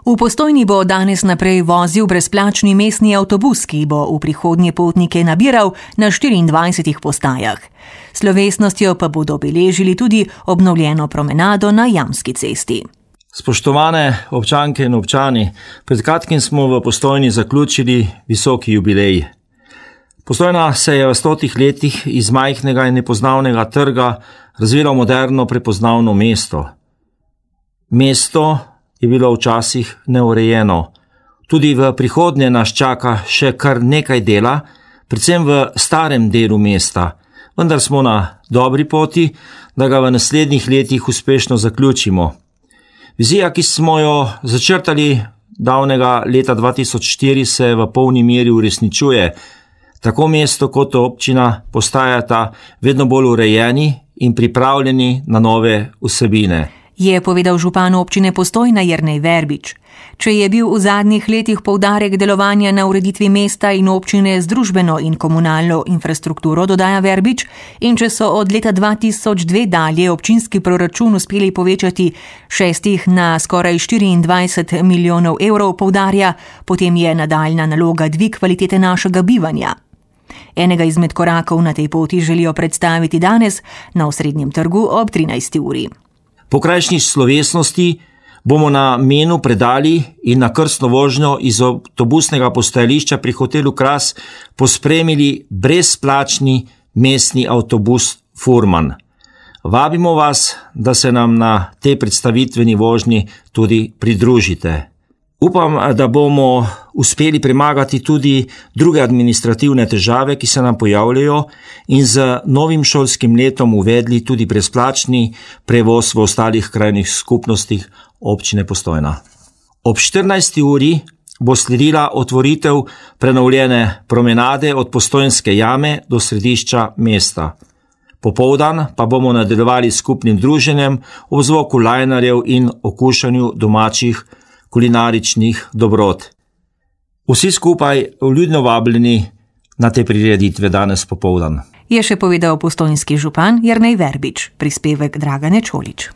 V Postojni bo danes naprej vozil brezplačni mestni avtobus, ki bo v prihodnje potnike nabiral na 24 postajah. Slovesnostjo pa bodo obeležili tudi obnovljeno promenado na Jamski cesti. Spoštovane občanke in občani, pred kratkim smo v Postojni zaključili visoki jubilej. Postojna se je v 100 letih iz majhnega in nepoznavnega trga razvilo moderno prepoznavno mesto. Mesto je bilo včasih neurejeno. Tudi v prihodnje nas čaka še kar nekaj dela, predvsem v starem delu mesta, vendar smo na dobri poti, da ga v naslednjih letih uspešno zaključimo. Vizija, ki smo jo začrtali davnega leta 2004, se v polni meri uresničuje. Tako mesto kot občina postajata vedno bolj urejeni in pripravljeni na nove vsebine. Je povedal župan občine Postojna Jernej Verbič. Če je bil v zadnjih letih poudarek delovanja na ureditvi mesta in občine z družbeno in komunalno infrastrukturo, dodaja Verbič, in če so od leta 2002 dalje občinski proračun uspeli povečati 6 na skoraj 24 milijonov evrov, poudarja, potem je nadaljna naloga dvig kvalitete našega bivanja. Enega izmed korakov na tej poti želijo predstaviti danes na Osrednjem trgu ob 13. uri. Po krajšnji slovesnosti bomo na menu predali in na krstno vožnjo iz avtobusnega postajališča pri hotelu Kras pospremili brezplačni mestni avtobus Furman. Vabimo vas, da se nam na tej predstavitveni vožnji tudi pridružite. Upam, da bomo uspeli premagati tudi druge administrativne težave, ki se nam pojavljajo, in z novim šolskim letom uvedli tudi brezplačni prevoz v ostalih krajnih skupnostih občine Postojna. Ob 14. uri bo sledila otvoritev prenovljene promenade od Postojnske jame do središča mesta. Popoldan pa bomo nadaljevali skupnim druženjem ob zvoku lajnarjev in okušanju domačih kulinaričnih dobrot. Vsi skupaj vljudno vabljeni na te prireditve danes popoldan. Je še povedal postojnski župan Jernej Verbič, prispevek Dragane Čolić.